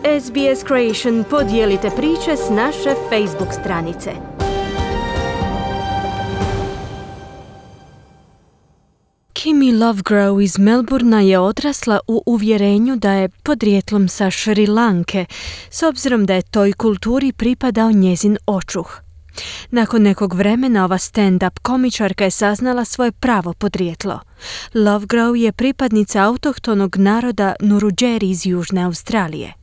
SBS Creation podijelite priče s naše Facebook stranice. Kimi Lovegrove iz Melbournea je odrasla u uvjerenju da je podrijetlom sa Šri Lanke, s obzirom da je toj kulturi pripadao njezin očuh. Nakon nekog vremena ova stand-up komičarka je saznala svoje pravo podrijetlo. Lovegrove je pripadnica autohtonog naroda Nurudžeri iz Južne Australije.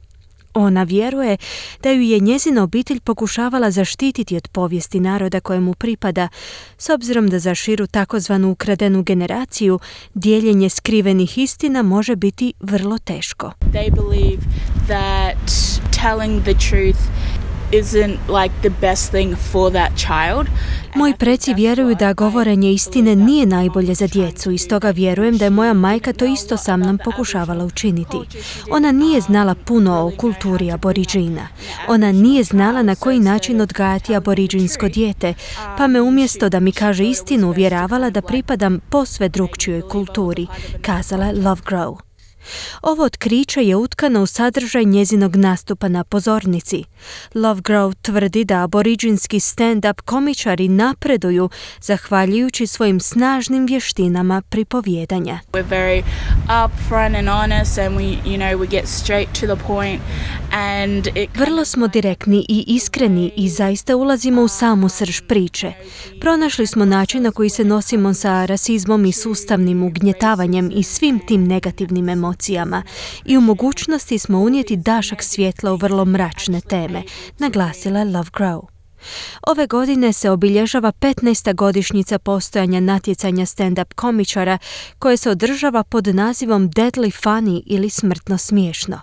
Ona vjeruje da ju je njezina obitelj pokušavala zaštititi od povijesti naroda kojemu pripada, s obzirom da za širu takozvanu ukradenu generaciju dijeljenje skrivenih istina može biti vrlo teško. They believe that telling the truth isn't like the best thing for that child. Moji preci vjeruju da govorenje istine nije najbolje za djecu i stoga vjerujem da je moja majka to isto sa mnom pokušavala učiniti. Ona nije znala puno o kulturi aboriđina. Ona nije znala na koji način odgajati aboriđinsko dijete, pa me umjesto da mi kaže istinu uvjeravala da pripadam posve drukčijoj kulturi, kazala je Lovegrove. Ovo otkriće je utkano u sadržaj njezinog nastupa na pozornici. Lovegrove tvrdi da aboriđinski stand-up komičari napreduju zahvaljujući svojim snažnim vještinama pripovijedanja. We're very upfront and honest and we get straight to the point and Vrlo smo direktni i iskreni i zaista ulazimo u samu srž priče. Pronašli smo način na koji se nosimo sa rasizmom i sustavnim ugnjetavanjem i svim tim negativnim emocijama i u mogućnosti smo unijeti dašak svjetla u vrlo mračne teme, naglasila je Lovegrove. Ove godine se obilježava 15. godišnjica postojanja natjecanja stand-up komičara koje se održava pod nazivom Deadly Funny ili smrtno smiješno.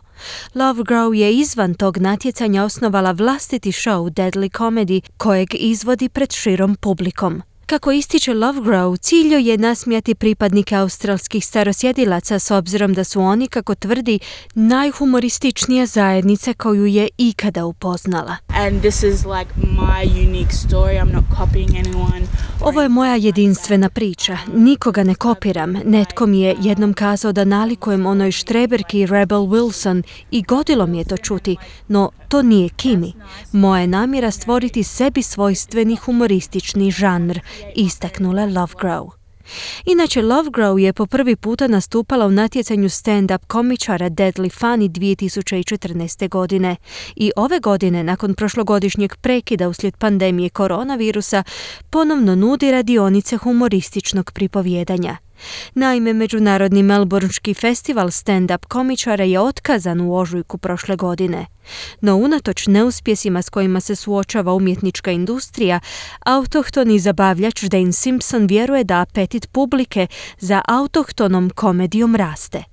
Lovegrove je izvan tog natjecanja osnovala vlastiti show Deadly Comedy kojeg izvodi pred širom publikom. Kako ističe Lovegrove, cilj joj je nasmijati pripadnike australskih starosjedilaca s obzirom da su oni, kako tvrdi, najhumorističnija zajednica koju je ikada upoznala. and this is like my unique story. I'm not copying anyone. Ovo je moja jedinstvena priča. Nikoga ne kopiram. Netko mi je jednom kazao da nalikujem onoj štreberki Rebel Wilson i godilo mi je to čuti, no to nije Kimi. Moja je namjera stvoriti sebi svojstveni humoristični žanr, istaknula Lovegrove. Inače, Lovegrove je po prvi puta nastupala u natjecanju stand-up komičara Deadly Funny 2014. godine i ove godine, nakon prošlogodišnjeg prekida uslijed pandemije koronavirusa, ponovno nudi radionice humorističnog pripovijedanja. Naime, Međunarodni melbourneški festival stand-up komičara je otkazan u ožujku prošle godine. No unatoč neuspjesima s kojima se suočava umjetnička industrija, autohtoni zabavljač Dane Simpson vjeruje da apetit publike za autohtonom komedijom raste.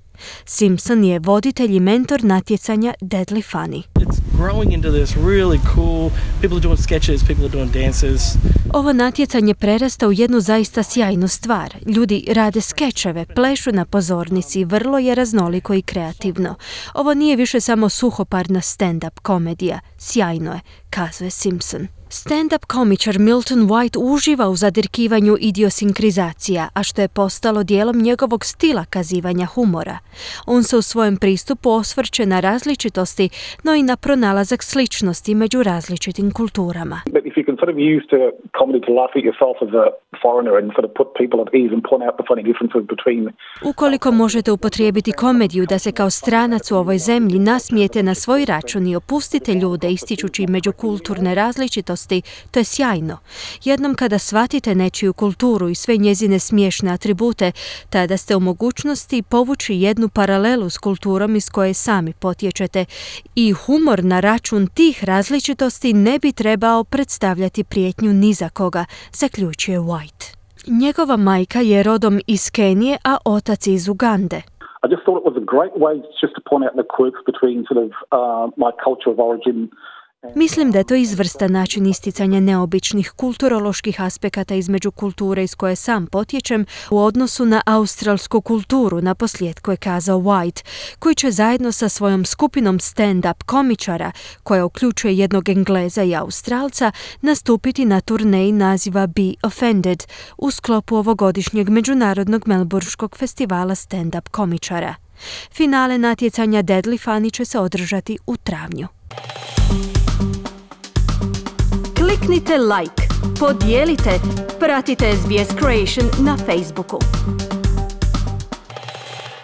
Simpson je voditelj i mentor natjecanja Deadly Funny. It's growing into this really cool, people are doing sketches, people are doing dances. Ovo natjecanje prerasta u jednu zaista sjajnu stvar. Ljudi rade skečeve, plešu na pozornici, vrlo je raznoliko i kreativno. Ovo nije više samo suhoparna stand-up komedija. Sjajno je, kazuje Simpson. Stand-up komičar Milton White uživa u zadirkivanju idiosinkrizacija, a što je postalo dijelom njegovog stila kazivanja humora. On se u svojem pristupu osvrće na različitosti, no i na pronalazak sličnosti među različitim kulturama. But if you can sort of use the comedy to laugh at yourself as a foreigner and sort of put people at ease and point out the funny differences between. Ukoliko možete upotrijebiti komediju da se kao stranac u ovoj zemlji nasmijete na svoj račun i opustite ljude ističući međukulturne različitosti, to je sjajno. Jednom kada shvatite nečiju kulturu i sve njezine smiješne atribute, tada ste u mogućnosti povući jednu paralelu s kulturom iz koje sami potječete i humor na račun tih različitosti ne bi trebao predstavljati prijetnju ni za koga, zaključuje White. Njegova majka je rodom iz Kenije, a otac iz Ugande. I just thought it was a great way just to point out the quirks between sort of my culture of origin. Mislim da je to izvrstan način isticanja neobičnih kulturoloških aspekata između kulture iz koje sam potječem u odnosu na australsku kulturu, naposljetku je kazao White, koji će zajedno sa svojom skupinom stand-up komičara, koja uključuje jednog Engleza i Australca, nastupiti na turneji naziva Be Offended u sklopu ovogodišnjeg Međunarodnog melbourneškog festivala stand-up komičara. Finale natjecanja Deadly Funny će se održati u travnju. Kliknite like, podijelite, pratite SBS Creation na Facebooku.